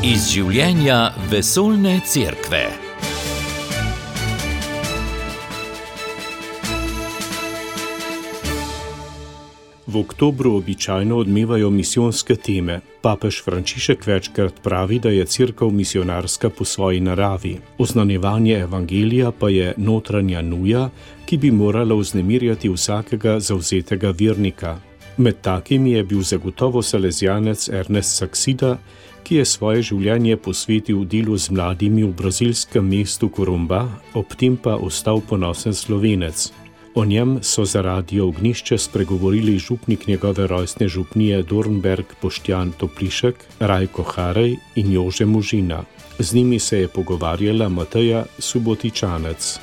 Iz življenja vesoljne cerkve. V oktobru običajno odmevajo misijonske teme. Papež Frančišek večkrat pravi, da je cerkev misijonarska po svoji naravi. Oznanjevanje evangelija pa je notranja nuja, ki bi morala vznemirjati vsakega zavzetega vernika. Med takimi je bil zagotovo salezijanec Ernest Saksida, ki je svoje življenje posvetil delu z mladimi v brazilskem mestu Corumbá, ob tem pa ostal ponosen Slovenec. O njem so za Radio Ognjišče spregovorili župnik njegove rojstne župnije Dornberk Boštjan Toplišek, Rajko Harej in Jože Možina. Z njimi se je pogovarjala Mateja Subotičanec.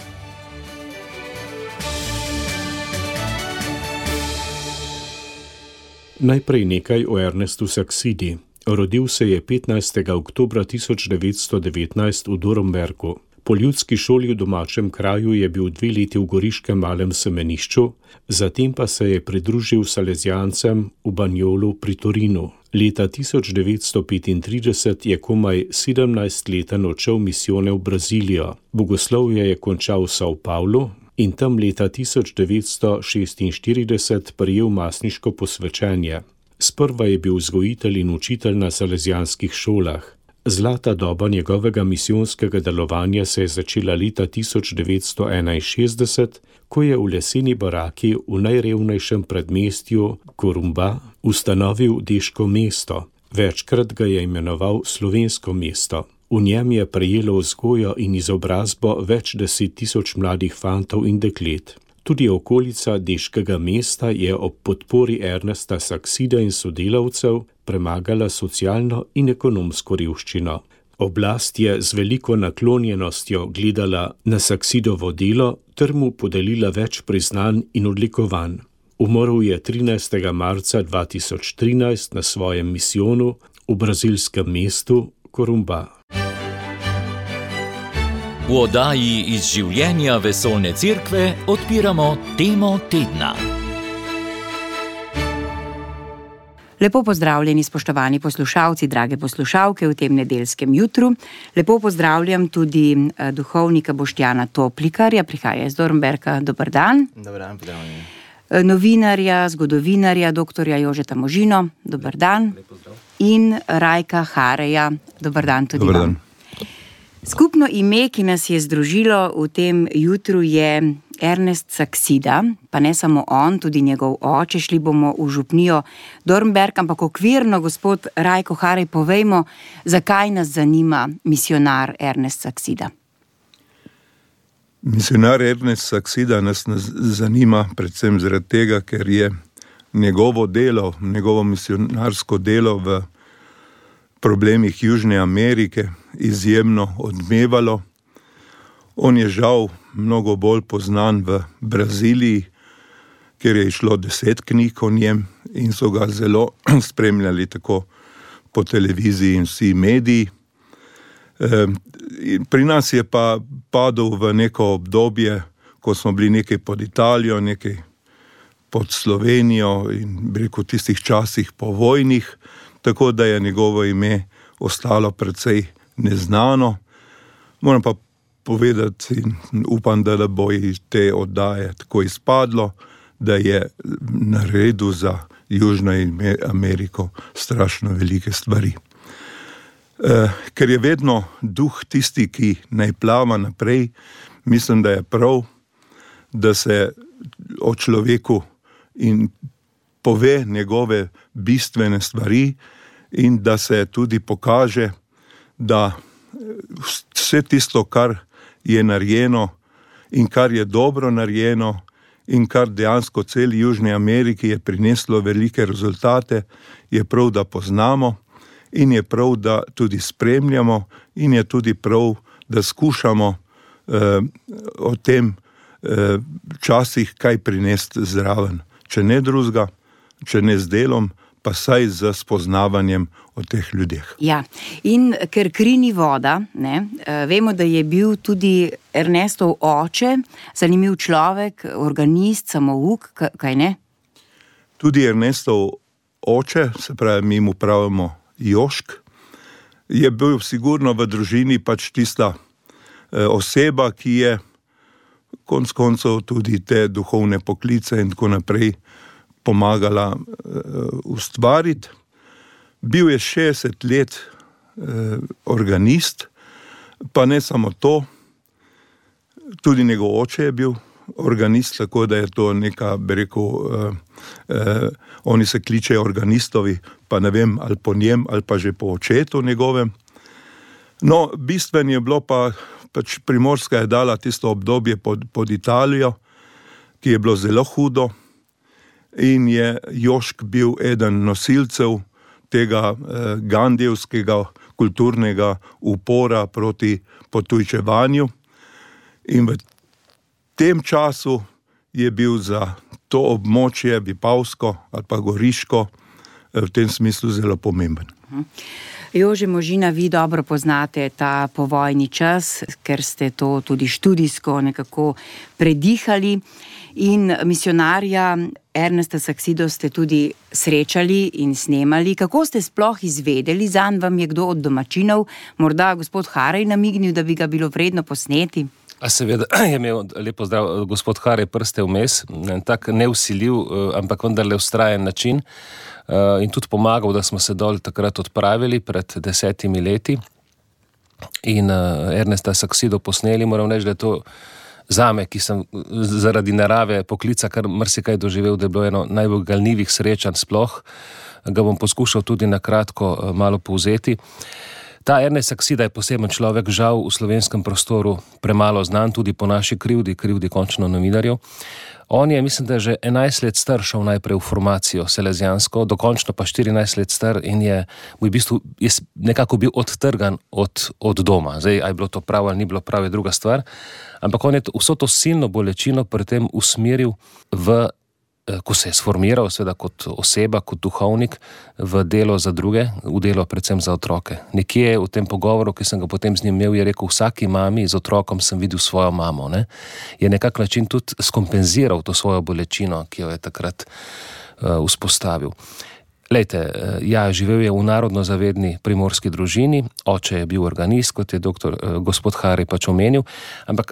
Najprej nekaj o Ernestu Saksidi. Rodil se je 15. oktobra 1919 v Dornberku. Po ljudski šoli v domačem kraju je bil 2 leti v goriškem Malem Semenišču, zatem pa se je pridružil salezijancem v Banjolu pri Torinu. Leta 1935 je komaj 17-leten odšel misijone v Brazilijo. Bogoslovje je končal v São Paulo in tam leta 1946 prejel masniško posvečenje. Sprva je bil vzgojitelj in učitelj na salezijanskih šolah. Zlata doba njegovega misijonskega delovanja se je začela leta 1961, ko je v leseni baraki v najrevnejšem predmestju Corumbá ustanovil deško mesto. Večkrat ga je imenoval slovensko mesto. V njem je prejelo vzgojo in izobrazbo več 10.000 mladih fantov in deklet. Tudi okolica deškega mesta je ob podpori Ernesta Saksida in sodelavcev premagala socialno in ekonomsko revščino. Oblast je z veliko naklonjenostjo gledala na Saksidovo delo ter mu podelila več priznanj in odlikovanj. Umrl je 13. marca 2013 na svojem misijonu v brazilskem mestu Corumbá. V oddaji Iz življenja vesoljne cerkve odpiramo temo tedna. Lepo pozdravljeni, spoštovani poslušalci, drage poslušalke v tem nedeljskem jutru. Lepo pozdravljam tudi duhovnika Boštjana Toplikarja, prihaja iz Dornberka. Dober dan. Dober dan, pozdravljeni. Novinarja, zgodovinarja, doktorja Jožeta Možino. Dober dan. Lep pozdrav. In Rajka Hareja. Dober dan tudi Dober vam. dan. Skupno ime, ki nas je združilo v tem jutru, je Ernest Saksida, pa ne samo on, tudi njegov oče. Šli bomo v župnijo Dornberk, ampak okvirno, gospod Rajko Harej, povejmo, zakaj nas zanima misijonar Ernest Saksida. Misijonar Ernest Saksida nas zanima predvsem zaradi tega, ker je njegovo delo, njegovo misijonarsko delo v problemih Južne Amerike izjemno odmevalo. On je žal mnogo bolj poznan v Braziliji, kjer je išlo 10 knjig o njem in so ga zelo spremljali tako po televiziji in vsi mediji. Pri nas je pa padel v neko obdobje, ko smo bili nekaj pod Italijo, nekaj pod Slovenijo in rekel tistih časih povojnih, tako da je njegovo ime ostalo precej neznano. Moram pa povedati in upam, da bo iz te oddaje tako izpadlo, da je naredil za Južno Ameriko strašno velike stvari. Ker je vedno duh tisti, ki naj plava naprej, mislim, da je prav, da se o človeku in pove njegove bistvene stvari in da se tudi pokaže, da vse tisto, kar je narejeno in kar je dobro narejeno in kar dejansko celi Južni Ameriki je prineslo velike rezultate, je prav, da poznamo in je prav, da tudi spremljamo in je tudi prav, da skušamo o tem časih kaj prinesti zraven. Če ne drugega, če ne z delom, pa saj z spoznavanjem o teh ljudeh. Ja, in ker kri ni voda, ne, vemo, da je bil tudi Ernestov oče, zanimiv človek, organist, samouk, kaj ne? Tudi Ernestov oče, se pravi, mi mu pravimo Jošk, je bil sigurno v družini pač tista oseba, ki je konec koncev tudi te duhovne poklice in tako naprej pomagala ustvariti. Bil je 60 let organist, pa ne samo to, tudi njegov oče je bil organist, tako da je to neka, bi rekel, oni se kličejo organistovi, pa ne vem, ali po njem, ali pa že po očetu njegovem. No, bistveno je bilo pač Primorska je dala tisto obdobje pod Italijo, ki je bilo zelo hudo in je Jošk bil eden nosilcev tega gandijevskega kulturnega upora proti potujčevanju. In v tem času je bil za to območje Vipavsko ali pa Goriško v tem smislu zelo pomemben. Jože Možina, vi dobro poznate ta povojni čas, ker ste to tudi študijsko nekako predihali in misionarja Ernesta Saksido ste tudi srečali in snemali. Kako ste sploh izvedeli, zanj vam je kdo od domačinov, morda gospod Harej namignil, da bi ga bilo vredno posneti? A seveda je imel, lepo zdrav, gospod Harej prste vmes, tak neusiljiv, ampak vendarle vztrajen način in tudi pomagal, da smo se dol takrat odpravili pred 10 leti in Ernesta Saksido posneli. Moram reči, da je to zame, ki sem zaradi narave poklica kar marsikaj doživel, da je bilo eno najbolj galnivih srečanj sploh, ga bom poskušal tudi na kratko malo povzeti. Ta Ernest Saksida je poseben človek, žal v slovenskem prostoru premalo znan, tudi po naši krivdi končno novinarjev. On je, mislim, da je že 11 let star šel najprej v formacijo selezijansko, dokončno pa 14 let star in je v bistvu nekako bil odtrgan od doma. Zdaj, a je bilo to prav ali ni bilo prav, je druga stvar. Ampak on je vso to silno bolečino pri tem usmeril ko se je sformiral, seveda kot oseba, kot duhovnik, v delo za druge, v delo predvsem za otroke. Nekje v tem pogovoru, ki sem ga potem z njim imel, je rekel, vsaki mami z otrokom sem videl svojo mamo. Ne? Je nekak način tudi skompenziral to svojo bolečino, ki jo je takrat vzpostavil. Lejte, ja, živel je v narodno zavedni primorski družini, oče je bil organist, kot je gospod Harej pač omenil, ampak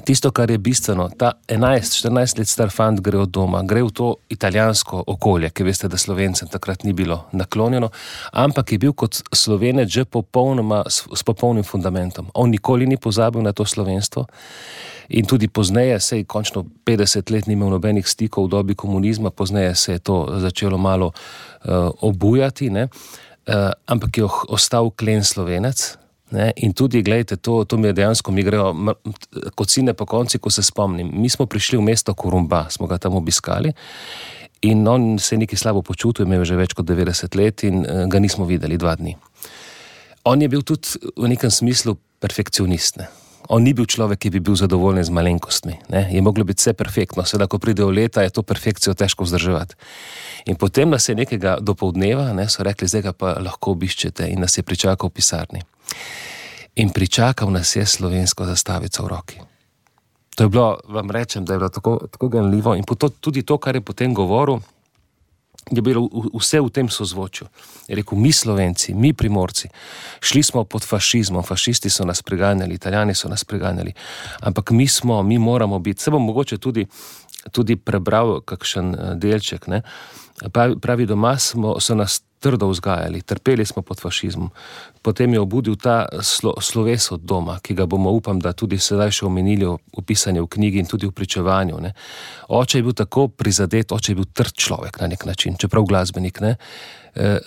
tisto, kar je bistveno, ta 11-14 let star fant gre od doma, gre v to italijansko okolje, ki veste, da Slovencem takrat ni bilo naklonjeno, ampak je bil kot Slovenec že s popolnim fundamentom. On nikoli ni pozabil na to slovenstvo in tudi pozneje, sej končno 50 let ni imel nobenih stikov v dobi komunizma, pozneje se je to začelo malo obujati, ne? Ampak je ostal klen Slovenec. Ne? In tudi, gledajte, to mi je dejansko, mi grejo kot sine po konci, ko se spomnim. Mi smo prišli v mesto Korumba, smo ga tam obiskali in on se je nekaj slabo počutil, imel že več kot 90 let in ga nismo videli 2 dni. On je bil tudi v nekem smislu perfekcionist. Ne? On ni bil človek, ki bi bil zadovoljen z malenkostmi. Ne? Je moglo biti vse perfektno, seveda, ko pridejo leta, je to perfekcijo težko vzdrževati. In potem nas je nekega dopoldneva, ne, so rekli, zdaj ga pa lahko obiščete in nas je pričakal v pisarni. In pričakal nas je slovensko zastavico v roki. To je bilo, vam rečem, da je bilo tako ganljivo in tudi to, kar je potem govoril, je bilo vse v tem sozvočju. Je rekel, mi Slovenci, mi Primorci, šli smo pod fašizmom, fašisti so nas preganjali, Italijani so nas preganjali, ampak mi moramo biti, se bom mogoče tudi prebral kakšen delček, ne? Pravi, doma so nas trdo vzgajali, trpeli smo pod fašizmom. Potem je obudil ta sloves od doma, ki ga bomo, upam, da tudi sedaj še omenili v pisanju v knjigi in tudi v pričevanju. Ne. Oče je bil tako prizadet, oče je bil trd človek na nek način, čeprav glasbenik, ne.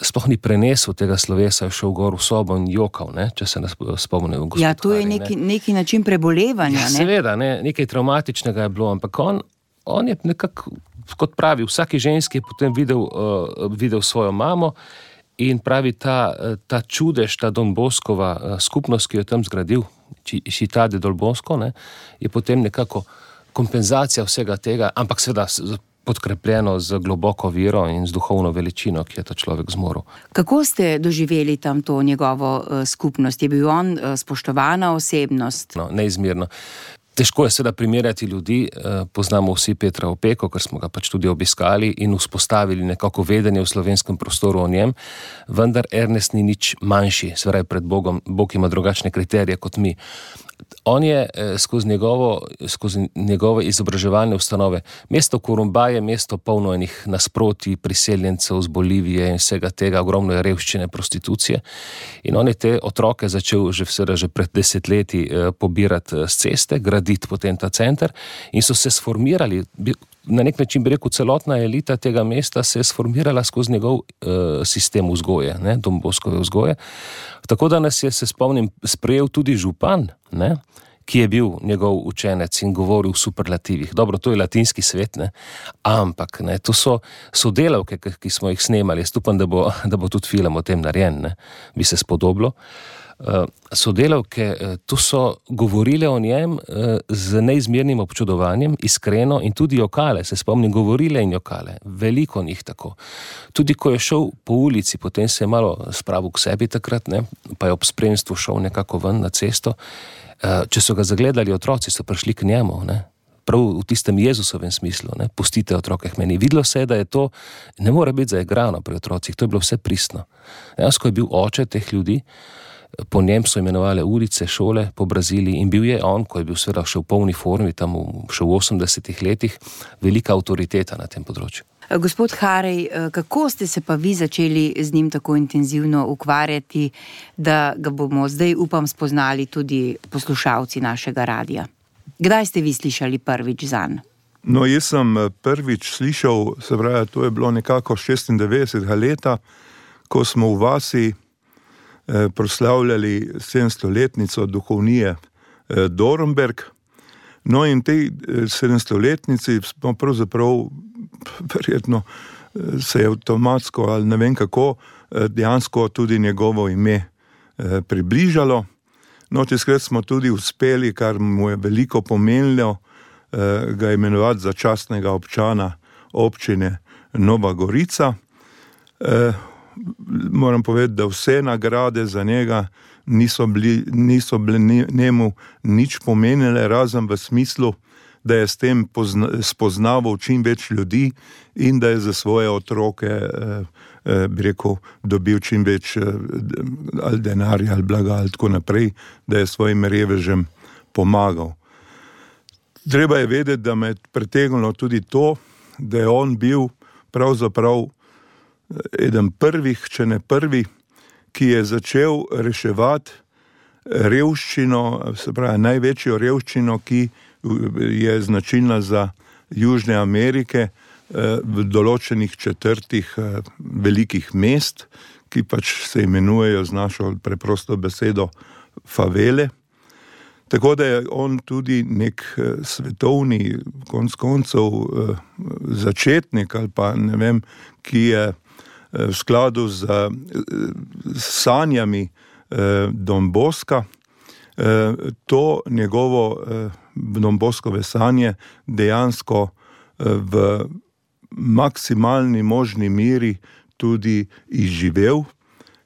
Sploh ni prenesel tega slovesa, je šel gor v sobo in jokal, ne, če se nas spomnil. Ja, to je neki način prebolevanja. Ja, seveda, ne, nekaj traumatičnega je bilo, ampak on je nekako, kot pravi, vsaki ženski je potem videl svojo mamo in pravi ta čudež, ta Don Boskova skupnost, ki jo tam zgradil, Città del Don Bosco, ne, je potem nekako kompenzacija vsega tega, ampak seveda podkrepljeno z globoko vero in z duhovno veličino, ki je ta človek zmoril. Kako ste doživeli tam to njegovo skupnost? Je bil on spoštovana osebnost? No, neizmerno. Težko je seveda primerjati ljudi, poznamo vsi Petra Opeko, ker smo ga pač tudi obiskali in vzpostavili nekako vedenje v slovenskem prostoru o njem, vendar Ernest ni nič manjši, seveda pred Bogom, Bog ima drugačne kriterije kot mi. On je skozi njegove izobraževalne ustanove, mesto Kurumba je mesto polno enih nasprotij, priseljencev z Bolivije in vsega tega, ogromno je revščine, prostitucije, in on je te otroke začel že pred desetletji pobirati z ceste, graditi potem ta center in so se sformirali, na nek način bi rekel, celotna elita tega mesta se je sformirala skozi njegov sistem vzgoje, Don Boskove vzgoje. Tako da nas je, se spomnim, sprejel tudi župan, ki je bil njegov učenec in govoril v superlativih. Dobro, to je latinski svet, ampak to so sodelavke, ki smo jih snemali. Jaz upam, da bo tudi film o tem narejen, bi se spodobilo. Sodelavke, tu so govorile o njem z neizmernim občudovanjem, iskreno in tudi jokale, se spomnim, govorile in jokale, veliko njih tako. Tudi ko je šel po ulici, potem se je malo spravil k sebi takrat, pa je ob spremstvu šel nekako ven na cesto. Če so ga zagledali otroci, so prišli k njemu, prav v tistem Jezusovem smislu, pustite otroke k meni. Videlo se je, da je to, ne more biti zaigrano pri otrocih, to je bilo vse pristno. Dejansko je bil oče teh ljudi, po njem so imenovali ulice, šole po Braziliji in bil je on, ko je bil seveda še v polni formi, tam še v 80-ih letih, velika avtoriteta na tem področju. Gospod Harej, kako ste se pa vi začeli z njim tako intenzivno ukvarjati, da ga bomo zdaj, upam, spoznali tudi poslušalci našega radija? Kdaj ste vi slišali prvič zanj? No, jaz sem prvič slišal, se pravi, to je bilo nekako 96. leta, ko smo v vasi proslavljali 700-letnico duhovnije Dornberg. No in tej 700-letnici smo pravzaprav, verjetno se je avtomatsko ali ne vem kako, dejansko tudi njegovo ime približalo. No, tiskrat smo tudi uspeli, kar mu je veliko pomenilo, ga imenovati za častnega občana občine Nova Gorica. Moram povedati, da vse nagrade za njega niso bile njemu nič pomenile, razen v smislu, da je s tem spoznaval čim več ljudi in da je za svoje otroke, bi rekel, dobil čim več ali denarja ali blaga ali tako naprej, da je svojim revežem pomagal. Treba je vedeti, da me je pritegnilo tudi to, da je on bil pravzaprav eden prvih, če ne prvi, ki je začel reševati revščino, se pravi največjo revščino, ki je značilna za Južne Amerike, v določenih četrtih velikih mest, ki pač se imenujejo z našo preprosto besedo favele. Tako da je on tudi nek svetovni, konec koncev, začetnik ali pa ne vem, ki je v skladu z sanjami Don Boska, to njegovo Don Boskove sanje dejansko v maksimalni možni meri tudi izživel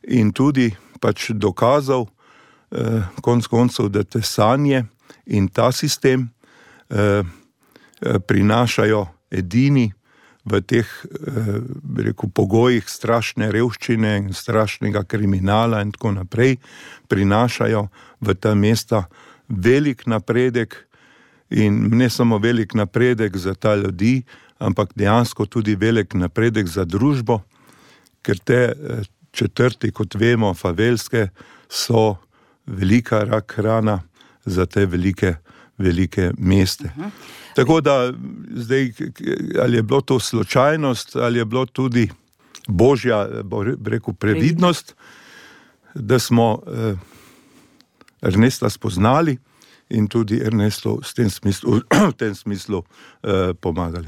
in tudi pač dokazal konec koncev, da te sanje in ta sistem prinašajo edini v teh, bi rekel, pogojih strašne revščine in strašnega kriminala in tako naprej, prinašajo v ta mesta velik napredek in ne samo velik napredek za ta ljudi, ampak dejansko tudi velik napredek za družbo, ker te četrti, kot vemo, favelske, so velika rak rana za te velike meste. Tako da zdaj, ali je bilo to slučajnost, ali je bilo tudi božja, bi rekel, previdnost, da smo Ernesta spoznali in tudi Ernestu v tem smislu pomagali.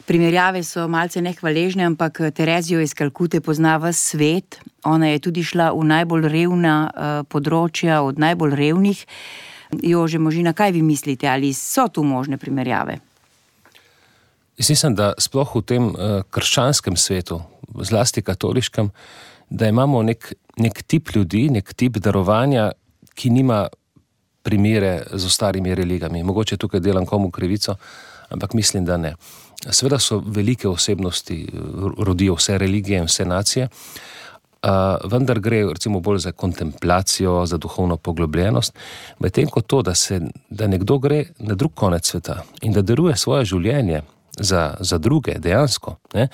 Primerjave so malce nehvaležne, ampak Terezijo iz Kalkute pozna ves svet. Ona je tudi šla v najbolj revna področja, od najbolj revnih. Jože Možina, kaj vi mislite, ali so tu možne primerjave? Jaz mislim, da sploh v tem krščanskem svetu, zlasti katoliškem, da imamo nek tip ljudi, nek tip darovanja, ki nima primere z ostalimi religijami. Mogoče tukaj delam komu krivico, ampak mislim, da ne. Seveda so velike osebnosti, rodijo vse religije in vse nacije, vendar gre recimo bolj za kontemplacijo, za duhovno poglobljenost, medtem ko to, da nekdo gre na drug konec sveta in da daruje svoje življenje za druge, dejansko, ne,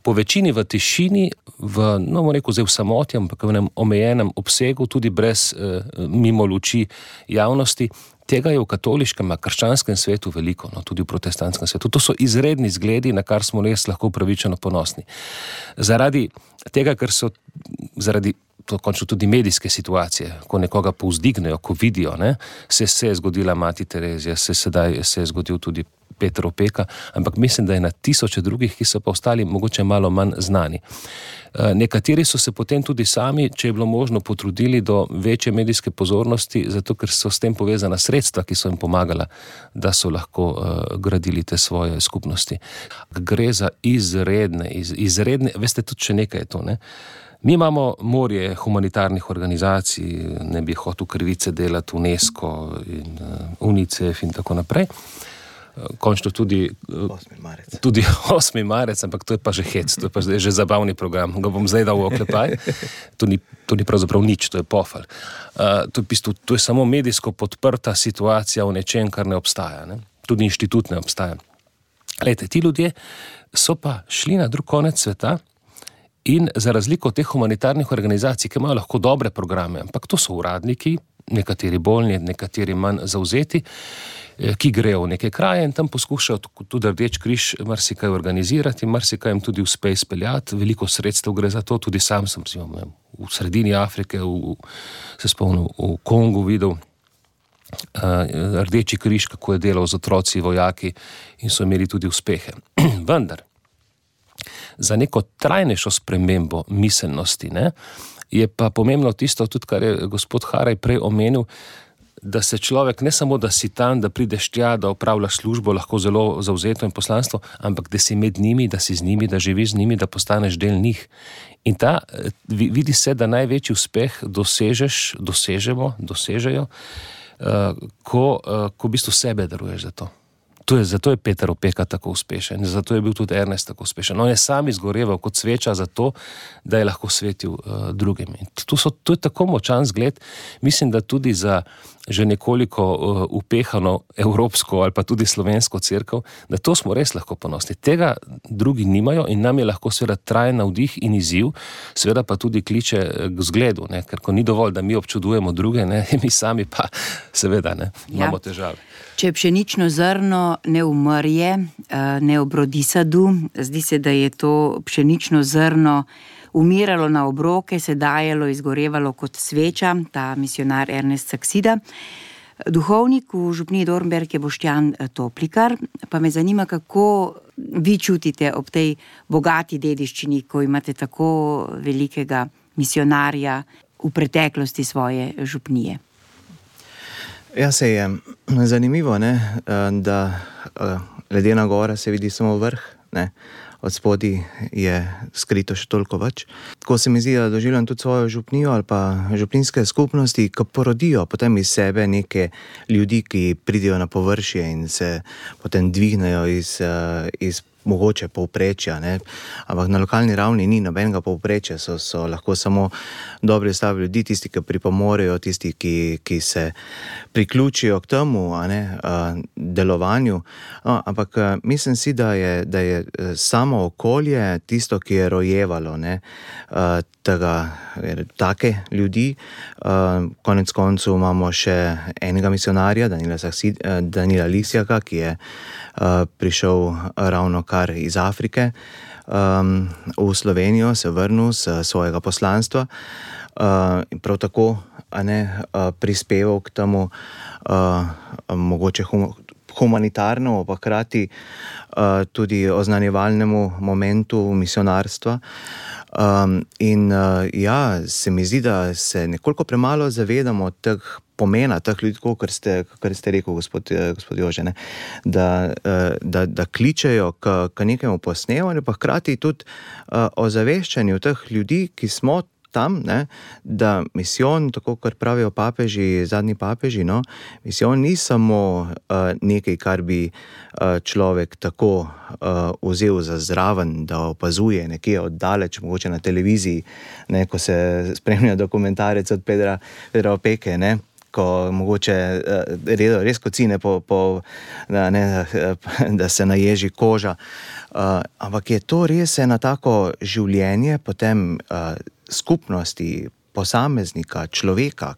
po večini v tišini, v samoti, ampak v enem omejenem obsegu, tudi brez mimo luči javnosti. Tega je v katoliškem, krščanskem svetu veliko, tudi v protestantskem svetu. To so izredni zgledi, na kar smo res lahko upravičeno ponosni. Zaradi tega, ker so to končno tudi medijske situacije, ko nekoga povzdignejo, ko vidijo, ne, se je zgodila mati Terezija, se je zgodil tudi Peter Opeka, ampak mislim, da je na tisoče drugih, ki so pa ostali mogoče malo manj znani. Nekateri so se potem tudi sami, če je bilo možno, potrudili do večje medijske pozornosti, zato ker so s tem povezana sredstva, ki so jim pomagala, da so lahko gradili te svoje skupnosti. Gre za izredne, veste, tudi še nekaj je to, ne? Mi imamo morje humanitarnih organizacij, ne bi hotel krivice delati UNESCO in UNICEF in tako naprej. Končno tudi 8. marec, ampak to je pa že hec, to je pa že zabavni program, ga bom zdaj dal v oklepaj. To ni pravzaprav nič, to je pofal. To je samo medijsko podprta situacija v nečem, kar ne obstaja, ne? Tudi inštitut ne obstaja. Glejte, ti ljudje so pa šli na drug konec sveta in za razliko od teh humanitarnih organizacij, ki imajo lahko dobre programe, ampak to so uradniki, nekateri bolni, nekateri manj zavzeti, ki grejo v neke kraje in tam poskušajo tudi Rdeči križ marsikaj organizirati, marsikaj jim tudi uspe izpeljati, veliko sredstev gre za to, tudi sam sem v sredini Afrike, se spomnim, v Kongu videl Rdeči križ, kako je delal z otroci, vojaki in so imeli tudi uspehe. Vendar, za neko trajnejšo spremembo miselnosti, ne, je pa pomembno tisto tudi, kar je gospod Haraj prej omenil, da se človek ne samo, da si tam, da prideš tja, da opravljaš službo, lahko zelo zavzeto in poslanstvo, ampak da si med njimi, da si z njimi, da živiš z njimi, da postaneš del njih. In vidi se, da največji uspeh dosežejo, ko v bistvu sebe daruješ za to. Zato je Peter Opeka tako uspešen, zato je bil tudi Ernest tako uspešen. On je sam izgoreval kot sveča za to, da je lahko svetil drugim. To je tako močan zgled, mislim, da tudi za že nekoliko upehano evropsko ali pa tudi slovensko cerkev, da to smo res lahko ponosni. Tega drugi nimajo in nam je lahko seveda trajen navdih in izziv, seveda pa tudi kliče k zgledu, ne? Ker ko ni dovolj, da mi občudujemo druge, ne? Mi sami pa seveda imamo težave. Če pšenično zrno ne umrje, ne obrodi sadu, zdi se, da je to pšenično zrno umiralo na obroke, se dajalo, izgorevalo kot sveča, ta misionar Ernest Saksida. Duhovnik v župniji Dornberk je Boštjan Toplikar, pa me zanima, kako vi čutite ob tej bogati dediščini, ko imate tako velikega misionarja v preteklosti svoje župnije. Ja, se je zanimivo, ne, da ledena gora se vidi samo vrh, ne, od spodaj je skrito še toliko več. Tako se mi zdi, da doživljam tudi svojo župnijo ali pa župninske skupnosti, ki porodijo potem iz sebe neke ljudi, ki pridejo na površje in se potem dvignejo iz mogoče povprečja, ne? Ampak na lokalni ravni ni nobenega povprečja, so lahko samo dobri stavi ljudi, tisti, ki pripomorejo, tisti, ki se priključijo k temu, delovanju. Ampak mislim si, da je samo okolje tisto, ki je rojevalo, ne? Take ljudi. Konec koncev imamo še enega misionarja, Danila Lisjaka, ki je prišel ravno kar iz Afrike v Slovenijo, se vrnil z svojega poslanstva in prav tako prispeval k temu mogoče humanitarnemu, pa hkrati tudi oznanjevalnemu momentu misionarstva. Se mi zdi, da se nekoliko premalo zavedamo pomena teh ljudi, kar ste rekel, gospod Jože, ne? Da kličejo k nekemu posnevanju, pa hkrati tudi o zaveščanju teh ljudi, ki smo tam, ne, da misijon, tako kot pravijo papeži, zadnji papeži, no, misijon ni samo nekaj, kar bi človek tako vzel za zraven, da opazuje nekje oddaleč, mogoče na televiziji, ne, ko se spremlja dokumentarec od Pedra Opeke, ne, ko mogoče res kocine da se naježi koža. Ampak je to res eno tako življenje potem skupnosti, posameznika, človeka,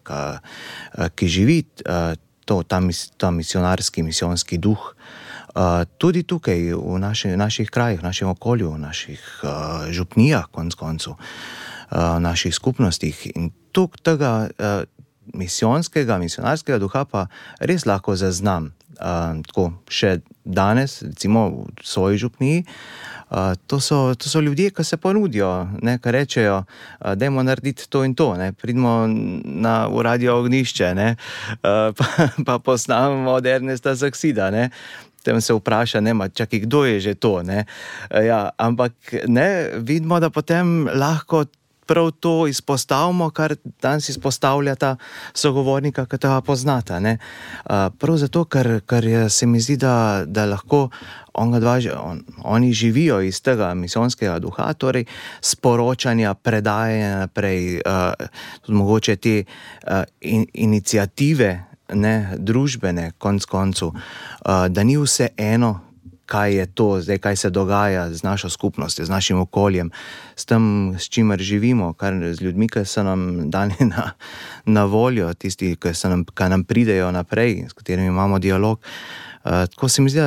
ki živi ta misijonski duh. Tudi tukaj v naših krajih, v našem okolju, v naših župnijah, konec koncev, v naših skupnostih. In tukaj tega misionarskega duha pa res lahko zaznam. Tako še danes, recimo v svoji župniji, to so ljudje, ki se ponudijo, ne, ki rečejo, dajmo narediti to in to, ne, pridimo v Radio Ognjišče, ne, pa posnamemo od Ernesta Saksida, ne. Tem se vpraša, čakaj, kdo je že to, ne. Ja, ampak ne, vidimo, da potem lahko prav to izpostavimo, kar danes izpostavlja ta sogovornika, ki tega poznata, ne. Prav zato, ker se mi zdi, da lahko oni živijo iz tega misijonskega duha, torej sporočanja, predajanja naprej, mogoče te iniciative, ne, družbene, konec koncev, da ni vse eno, kaj je to, zdaj kaj se dogaja z našo skupnostjo, z našim okoljem, s tem, s čimer živimo, z ljudmi, ki so nam dani na voljo, tisti, ki nam pridejo naprej, s katerimi imamo dialog. Tako se mi zdi,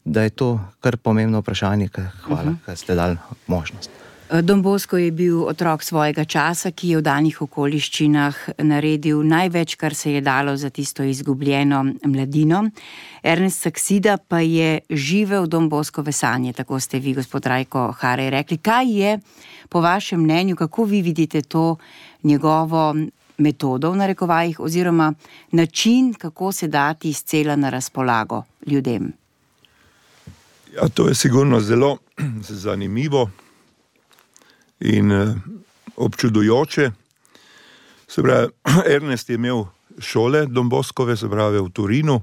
da je to kar pomembno vprašanje, hvala, ker ste dali možnost. Don Bosco je bil otrok svojega časa, ki je v danih okoliščinah naredil največ, kar se je dalo za tisto izgubljeno mladino. Ernest Saksida pa je živel Don Boscove sanje, tako ste vi, gospod Rajko Harej, rekli. Kaj je po vašem mnenju, kako vi vidite to njegovo metodo v narekovajih oziroma način, kako se dati izcela na razpolago ljudem? Ja, to je sigurno zelo zanimivo in občudujoče. Se pravi, Ernest je imel šole Don Boscove, se pravi v Turinu,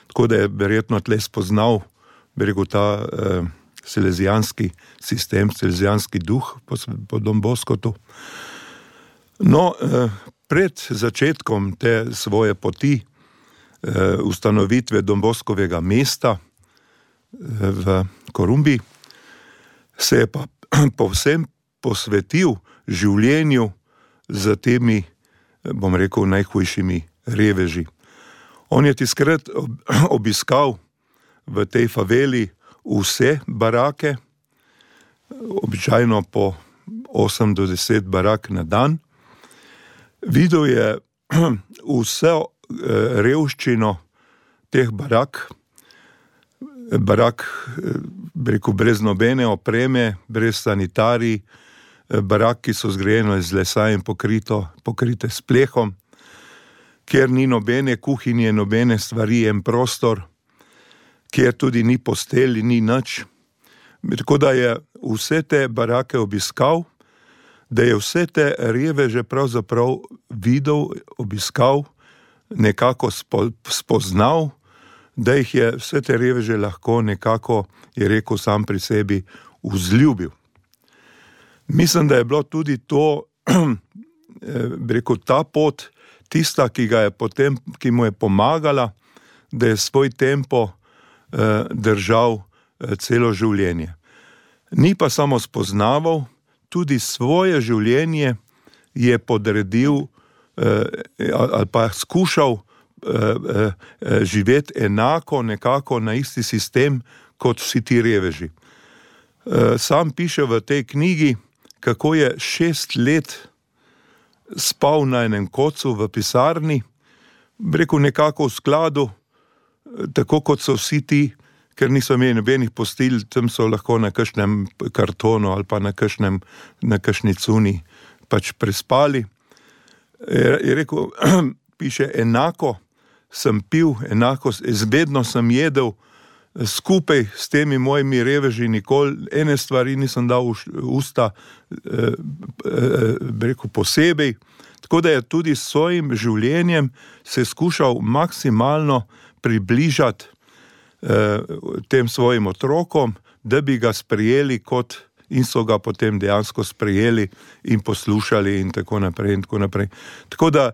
tako da je verjetno tle spoznal, bi rekel, ta salezijanski sistem, salezijanski duh po Don Boscotu. No, pred začetkom te svoje poti ustanovitve Don Boscovega mesta v Korumbi se je pa povsem posvetil življenju za temi, bom rekel, najhujšimi reveži. On je tiskrat obiskal v tej faveli vse barake, običajno po 8 do 10 barak na dan. Videl je vso revščino teh barak, bi rekel, brez nobene opreme, brez sanitarij, barak, ki so zgrajene iz lesa in pokrite s plehom, kjer ni nobene kuhinje, nobene stvari, en prostor, kjer tudi ni postelj, ni nič. Tako da je vse te barake obiskal, da je vse te reveže pravzaprav videl, obiskal, nekako spoznal, da jih je vse te reveže lahko nekako, je rekel sam pri sebi, vzljubil. Mislim, da je bilo tudi to, bi rekel, ta pot, tista, ki mu je pomagala, da je svoj tempo držal celo življenje. Ni pa samo spoznaval, tudi svoje življenje je podredil ali pa skušal živeti enako, nekako na isti sistem, kot vsi ti reveži. Sam piše v tej knjigi, kako je 6 let spal na enem kocu v pisarni, rekel nekako v skladu, tako kot so vsi ti, ker niso imeli nobenih postelj, tam so lahko na kakšnem kartonu ali pa na kakšni cuni pač prespali. Je rekel, piše, enako sem pil, vedno sem jedel, skupaj s temi mojimi reveži nikoli ene stvari nisem dal v usta, rekel posebej, tako da je tudi s svojim življenjem se skušal maksimalno približati tem svojim otrokom, da bi ga sprejeli kot in so ga potem dejansko sprejeli in poslušali in tako naprej in tako naprej. Tako da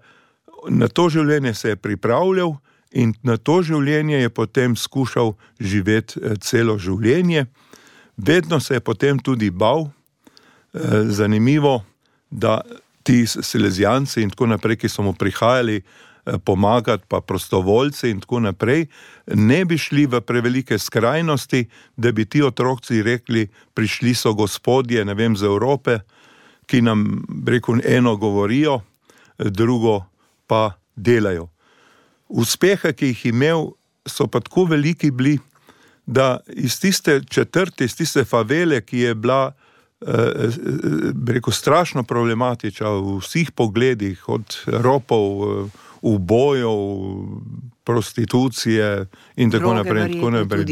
na to življenje se je pripravljal in na to življenje je potem skušal živeti celo življenje. Vedno se je potem tudi bal. Zanimivo, da ti Salezijanci in tako naprej, ki so mu prihajali pomagati, pa prostovoljci in tako naprej, ne bi šli v prevelike skrajnosti, da bi ti otroci rekli, prišli so gospodje, ne vem, z Evrope, ki nam, rekel, eno govorijo, drugo pa delajo. Uspehe, ki jih imel, so pa tako veliki bili, da iz tiste četrte, iz tiste favele, ki je bila, rekel, strašno problematična v vseh pogledih, od ropov, ubojov, prostitucije in tako naprej,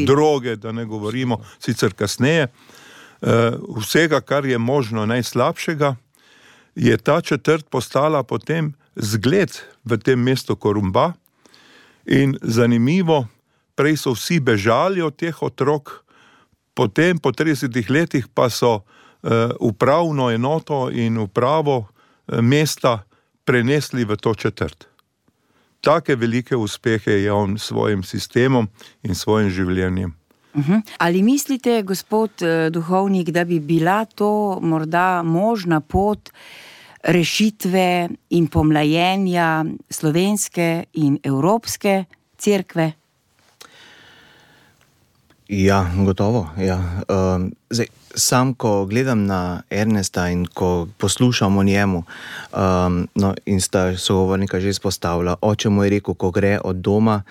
droge, da ne govorimo, sicer kasneje, vsega, kar je možno najslabšega, je ta četrt postala potem zgled v tem mestu Korumba in zanimivo, prej so vsi bežali od teh otrok, potem po 30 letih pa so upravno enoto in upravo mesta prenesli v to četrt. Take velike uspehe je on svojim sistemom in svojim življenjem. Ali mislite, gospod duhovnik, da bi bila to morda možna pot rešitve in pomlajenja slovenske in evropske cerkve? Ja, gotovo. Ja. Zdaj, sam, ko gledam na Ernesta in ko poslušam o njemu, in sta sogovornika že izpostavila, oče mu je rekel, ko gre od doma,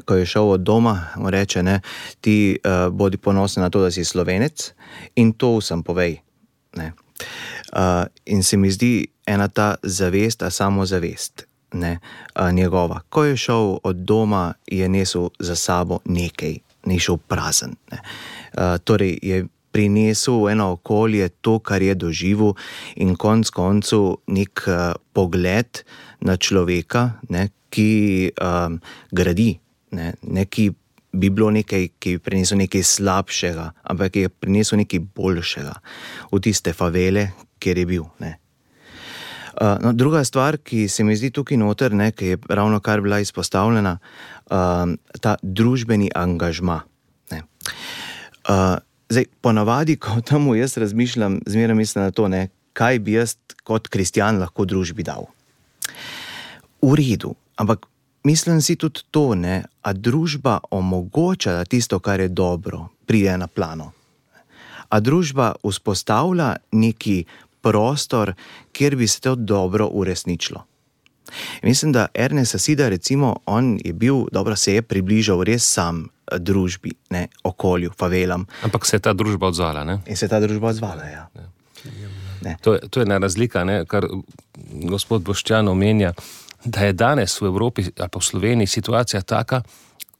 ko je šel od doma, mu reče, ne, ti bodi ponosen na to, da si Slovenec in to vsem povej. Ne. In se mi zdi ena ta zavest, a samozavest, ne, njegova. Ko je šel od doma, je nesel za sabo nekaj, ni šel prazen. Ne. Torej je prinesel v eno okolje to, kar je doživel in konec koncu nek pogled na človeka, ne, ki gradi, ne, ki bi bilo nekaj, ki bi prinesel nekaj slabšega, ampak ki je prinesel nekaj boljšega v tiste favele, kjer je bil. Ne. No, druga stvar, ki se mi zdi tukaj noter, ne, ki je ravno kar bila izpostavljena, ta družbeni angažma. Ne. Zdaj, ponavadi, ko temu jaz razmišljam, zmeraj mislim na to, ne, kaj bi jaz kot kristjan lahko družbi dal. V redu, ampak mislim si tudi to, ne, a družba omogoča, da tisto, kar je dobro, pride na plano. A družba vzpostavlja neki prostor, kjer bi se to dobro uresničilo. Mislim, da Ernest Sasida, recimo, on je bil, dobro, se je približal res sam družbi, ne, okolju, favelam. Ampak se je ta družba odzvala, ne? In se je ta družba odzvala, ja. Ne. To je ena razlika, ne, kar gospod Boštjan omenja, da je danes v Evropi ali pa v Sloveniji situacija taka,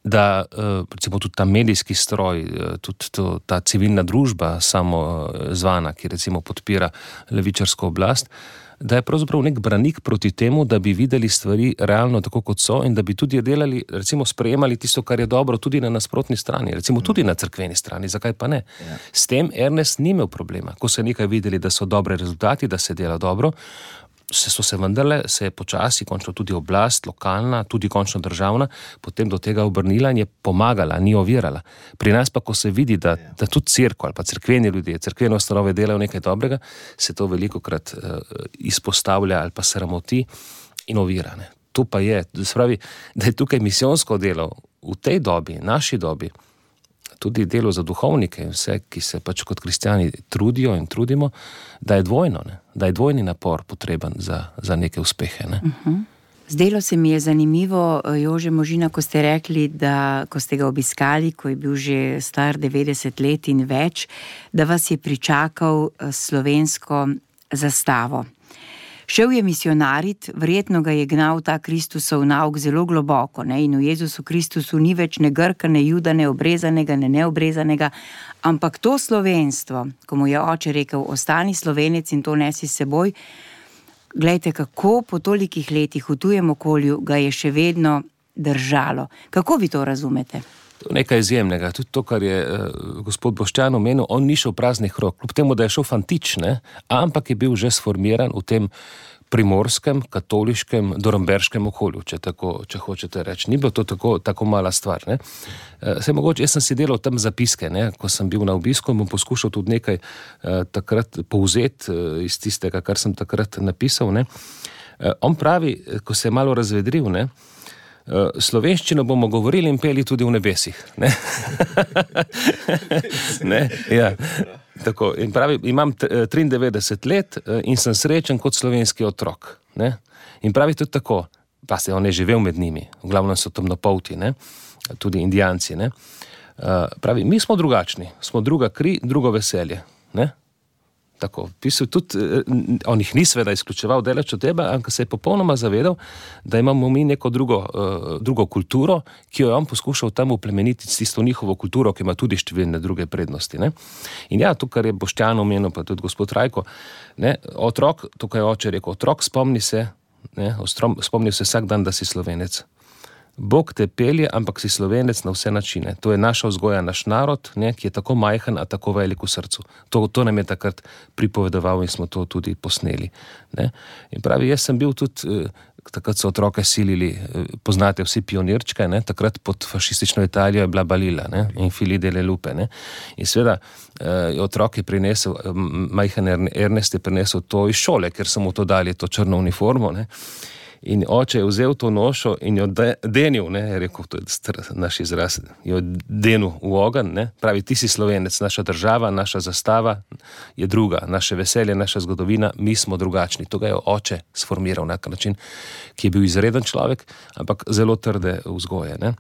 da recimo tudi ta medijski stroj, tudi ta civilna družba samo zvana, ki recimo podpira levičarsko oblast, da je pravzaprav nek branik proti temu, da bi videli stvari realno tako, kot so in da bi tudi delali, recimo sprejemali tisto, kar je dobro tudi na nasprotni strani, recimo tudi na cerkveni strani, zakaj pa ne? Ja. S tem Ernest ni imel problema. Ko so nekaj videli, da so dobre rezultati, da se dela dobro, so se vendarle, se je počasi končno tudi oblast, lokalna, tudi končno državna, potem do tega obrnila in je pomagala, ni ovirala. Pri nas pa, ko se vidi, da tudi cerkev ali pa cerkveni ljudje, cerkvene ustanove delajo nekaj dobrega, se to velikokrat izpostavlja ali pa sramoti in ovira. Ne. To pa je, spravi, da je tukaj misijonsko delo v tej dobi, naši dobi, tudi delo za duhovnike in vse, ki se pač kot kristjani trudijo in trudimo, da je dvojno, ne? Da je dvojni napor potreben za neke uspehe. Ne? Zdelo se mi je zanimivo, Jože Možina, ko ste rekli, da ko ste ga obiskali, ko je bil že star 90 let in več, da vas je pričakal slovensko zastavo. Šel je misionarit, verjetno ga je gnal ta Kristusov nauk zelo globoko, ne? In v Jezusu Kristusu ni več ne Grka, ne Juda, ne obrezanega, ne neobrezanega, ampak to slovenstvo, ko mu je oče rekel, ostani Slovenec in to nesi s seboj, glejte, kako po tolikih letih v tujem okolju ga je še vedno držalo. Kako vi to razumete? To je nekaj izjemnega. Tudi to, kar je gospod Boštjan omenil, on ni šel praznih rok. Kljub temu, da je šel fantič, ne, ampak je bil že sformiran v tem primorskem, katoliškem, dornberškem okolju, če hočete reči. Ni bilo to tako mala stvar. Ne. Saj mogoče, jaz sem si delal tam zapiske, ne, ko sem bil na obisku, bom poskušal tudi nekaj takrat povzeti iz tistega, kar sem takrat napisal. Ne. On pravi, ko se je malo razvedril, ne, slovenščino bomo govorili in peli tudi v nebesih. Ne? Ne? Ja. Tako. In pravi, imam 93 let in sem srečen kot slovenski otrok. Ne? In pravi tudi tako, pa se on je živel med njimi, v glavnem so temnopolti, ne? Tudi indijanci. Ne? Pravi, mi smo drugačni, smo druga kri, drugo veselje. Ne? Tako, pisal tudi, on jih ni seveda izključeval deleč od tebe, ampak se je popolnoma zavedal, da imamo mi neko drugo kulturo, ki jo je on poskušal tam uplemeniti s tisto njihovo kulturo, ki ima tudi številne druge prednosti. Ne? In ja, to, kar je Boštjan omenil, pa tudi gospod Rajko, ne, otrok, to, kar je oče rekel, otrok, spomni se vsak dan, da si Slovenec. Bog te pelje, ampak si Slovenec na vse načine. To je naša vzgoja, naš narod, ne, ki je tako majhen, a tako velik v srcu. To nam je takrat pripovedoval in smo to tudi posneli. Ne. In pravi, jaz sem bil tudi, takrat so otroke silili, poznate vsi pionirčke, ne, takrat pod fašistično Italijo je bila Balila, ne, in Fili delle Lupe. Ne. In seveda otrok je prinesel, majhen Ernest je prinesel to iz šole, ker so mu to dali, to črno uniformo, ne. In oče je vzel to nošo in jo denil, ne, je rekel, to je naš izraz, jo denil v ogenj, ne, pravi, ti si Slovenec, naša država, naša zastava je druga, naše veselje, naša zgodovina, mi smo drugačni. To ga je oče sformiral na način, ki je bil izreden človek, ampak zelo trde vzgoje, ne.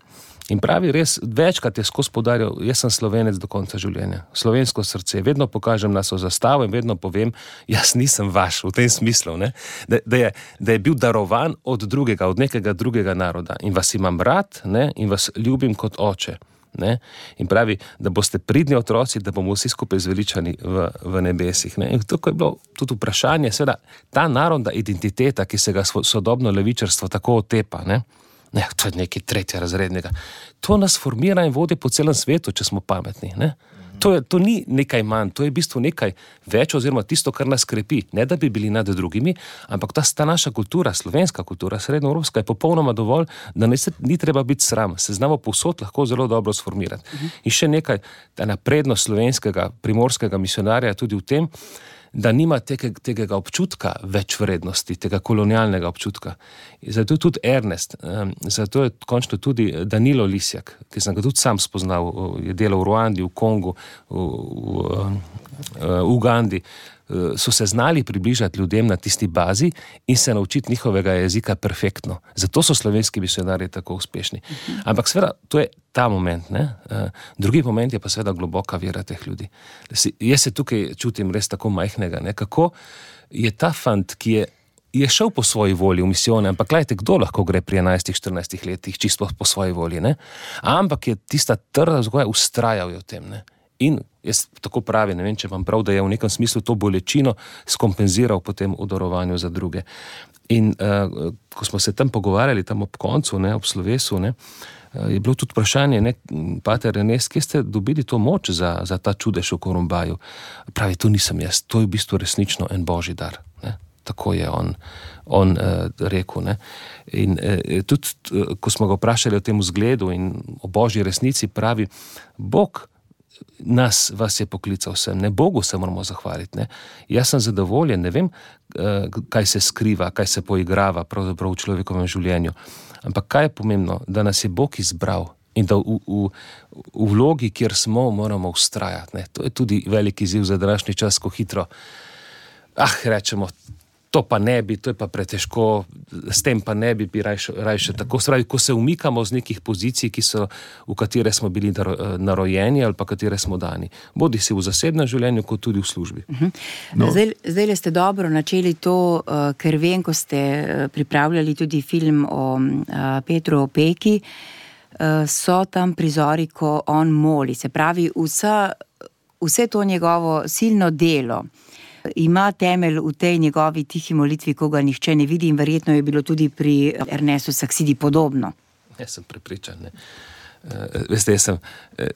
In pravi, res, večkrat je skozi poudarjal, jaz sem Slovenec do konca življenja. Slovensko srce, vedno pokažem našo zastavo in vedno povem, jaz nisem vaš v tem smislu, ne? Da je bil darovan od drugega, od nekega drugega naroda in vas imam rad, ne? In vas ljubim kot oče. Ne? In pravi, da boste pridni otroci, da bomo vsi skupaj zveličani v nebesih. Ne? In tako je bilo tudi vprašanje, seveda, ta narodna identiteta, ki se ga sodobno levičarstvo tako otepa, ne? Ne, to je nekaj tretjerazrednega. To nas formira in vodi po celem svetu, če smo pametni. Ne? To ni nekaj manj, to je v bistvu nekaj več oziroma tisto, kar nas krepi. Ne, da bi bili nad drugimi, ampak ta naša kultura, slovenska kultura, srednjeevropska, je popolnoma dovolj, da ni treba biti sram. Se znamo povsod lahko zelo dobro sformirati. In še nekaj, ta naprednost slovenskega, primorskega misionarja tudi v tem, da nima tega občutka več vrednosti, tega kolonialnega občutka. Zato je tudi Ernest, zato je končno tudi Danilo Lisjak, ki sem ga tudi sam spoznal, je delal v Ruandi, v Kongu, v Ugandi, so se znali približati ljudem na tisti bazi in se naučiti njihovega jezika perfektno. Zato so slovenski misionarji tako uspešni. Ampak seveda, to je ta moment, ne? Drugi moment je pa seveda globoka vera teh ljudi. Jaz se tukaj čutim res tako majhnega, ne? Kako je ta fant, ki je šel po svoji volji v misijone, ampak gledajte, kdo lahko gre pri 11-14 letih čisto po svoji volji, ne? Ampak je tista trda vzgoja, ustrajal je v tem, ne? In jaz tako pravi, ne vem, če vam prav, da je v nekem smislu to bolečino skompenziral potem v darovanju za druge. In ko smo se tam pogovarjali, tam ob koncu, ne, ob slovesu, ne, je bilo tudi vprašanje, ne, pater Ernest, kje ste dobili to moč za ta čudež v Korumbaju? Pravi, to nisem jaz, to je v bistvu resnično en božji dar. Ne. Tako je on rekel. Ne. In tudi, ko smo ga vprašali o tem vzgledu in o božji resnici, pravi, Bog vas je poklical vsem, ne, Bogu se moramo zahvaliti, ne. Jaz sem zadovoljen, ne vem, kaj se skriva, kaj se poigrava pravzaprav v človekovem življenju, ampak kaj je pomembno, da nas je Bog izbral in da v vlogi, kjer smo, moramo vztrajati, ne. To je tudi veliki izziv za današnji čas, ko hitro, rečemo, to pa ne bi, to je pa pretežko, s tem pa ne bi rajše tako. Spravi, ko se umikamo z nekih pozicij, v katere smo bili narojeni ali pa katere smo dani. Bodi si v zasebnem življenju, kot tudi v službi. No. Zdaj ste dobro načeli to, ker vem, ko ste pripravljali tudi film o Petru Opeki, so tam prizori, ko on moli. Se pravi, vse to njegovo silno delo ima temelj v tej njegovi tihi molitvi, ko ga nihče ne vidi, in verjetno je bilo tudi pri Ernestu Saksidi podobno. Jaz sem prepričan, ne. Veste, jaz sem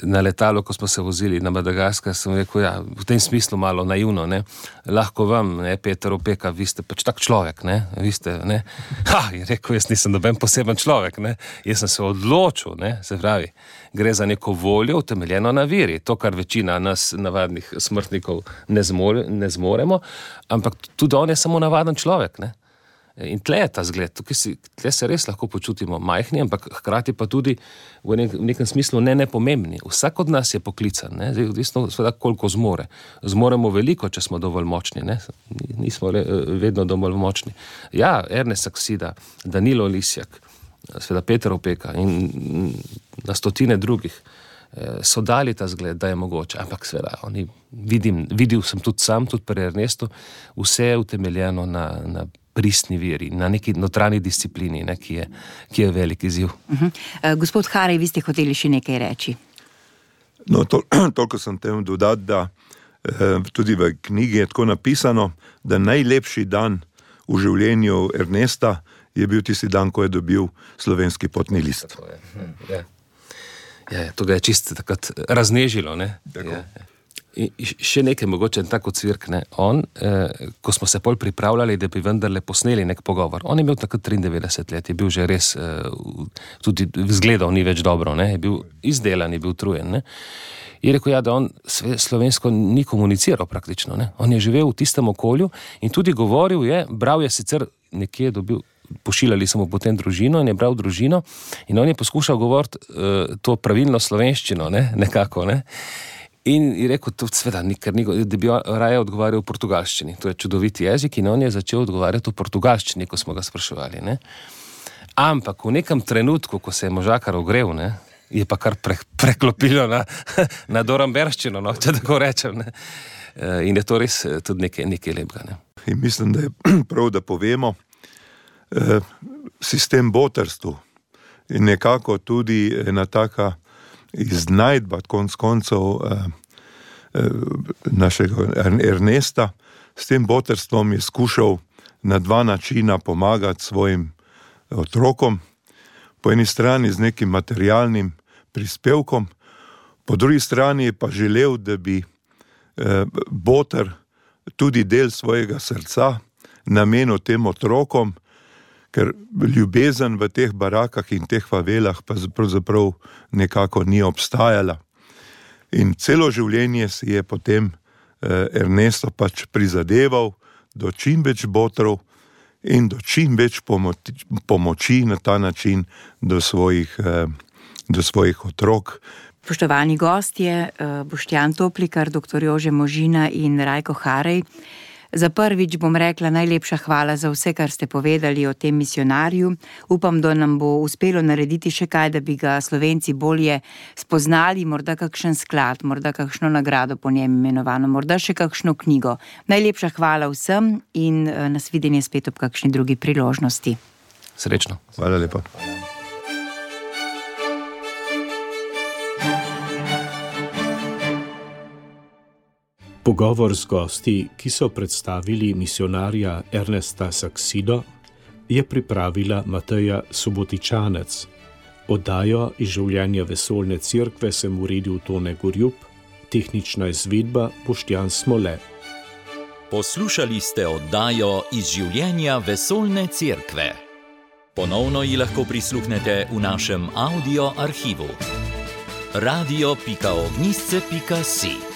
na letalu, ko smo se vozili na Madagaskar, sem rekel, v tem smislu malo naivno, ne, lahko vam, ne, Peter Opeka, vi ste pač tak človek, ne, vi ste, ne, je rekel, jaz nisem noben poseben človek, ne, jaz sem se odločil, ne, se pravi, gre za neko voljo utemeljeno na veri, to, kar večina nas navadnih smrtnikov ne zmoremo, ampak tudi on je samo navaden človek, ne. In tle je ta zgled, tle se res lahko počutimo majhni, ampak hkrati pa tudi v nekem smislu nepomembni. Vsak od nas je poklican, ne? Zdaj, odvisno seveda, koliko zmore. Zmoremo veliko, če smo dovolj močni, ne? Nismo vedno dovolj močni. Ja, Ernest Saksida, Danilo Lisjak, seveda Peter Opeka in na stotine drugih so dali ta zgled, da je mogoče, ampak seveda, videl sem tudi sam, tudi pri Ernestu, vse je utemeljeno na pristni veri, na neki notranji disciplini, ne, ki je velik izziv. Gospod Harej, vi ste hoteli še nekaj reči? No, toliko sem tem dodati, da tudi v knjigi je tako napisano, da najlepši dan v življenju Ernesta je bil tisti dan, ko je dobil slovenski potni list. To ga je čisto takrat raznežilo, ne? In še nekaj mogoče tako cvirk, ne, on, ko smo se pol pripravljali, da bi vendarle posneli nek pogovor, on je imel takrat 93 let, je bil že res, tudi vzgledal ni več dobro, ne, je bil izdelan, je bil utrujen, ne, je rekel, da on slovensko ni komuniciral praktično, ne, on je živel v tistem okolju in tudi govoril je, bral je sicer nekje dobil, pošiljali smo potem družino in je bral družino in on je poskušal govoriti to pravilno slovenščino, ne, nekako, ne. In je rekel, da bi raje odgovarjal v portugalščini. To je čudovit jezik in on je začel odgovarjati v portugalščini, ko smo ga spraševali. Ne? Ampak v nekem trenutku, ko se je možakar ogrev, ne, je pa kar preklopilo na doramberščino, no, če tako rečem. Ne? In je to res tudi nekaj lepega. Ne? In mislim, da je prav, da povemo, sistem botrstvu in nekako tudi ena taka iznajdba konc koncev našega Ernesta. S tem botrstvom je skušal na dva načina pomagati svojim otrokom. Po eni strani z nekim materialnim prispevkom, po drugi strani je pa želel, da bi Botr tudi del svojega srca namenil tem otrokom, ker ljubezen v teh barakah in teh favelah pa pravzaprav nekako ni obstajala. In celo življenje si je potem Ernesto pač prizadeval do čim več botrov in do čim več pomoči na ta način do svojih otrok. Spoštovani gostje, Boštjan Toplikar, dr. Jože Možina in Rajko Harej. Za prvič bom rekla najlepša hvala za vse, kar ste povedali o tem misionarju. Upam, da nam bo uspelo narediti še kaj, da bi ga Slovenci bolje spoznali, morda kakšen sklad, morda kakšno nagrado po njem imenovano, morda še kakšno knjigo. Najlepša hvala vsem in nasvidenje spet ob kakšni drugi priložnosti. Srečno. Hvala lepa. Pogovor z gosti, ki so predstavili misionarja Ernesta Saksido, je pripravila Mateja Subotičanec. Oddajo iz življenja Vesoljne cerkve sem uredil Tone Gorjup, tehnična izvedba Boštjan Smole. Poslušali ste oddajo iz življenja Vesoljne cerkve. Ponovno ji lahko prisluhnete v našem audio arhivu. radio.ognisce.si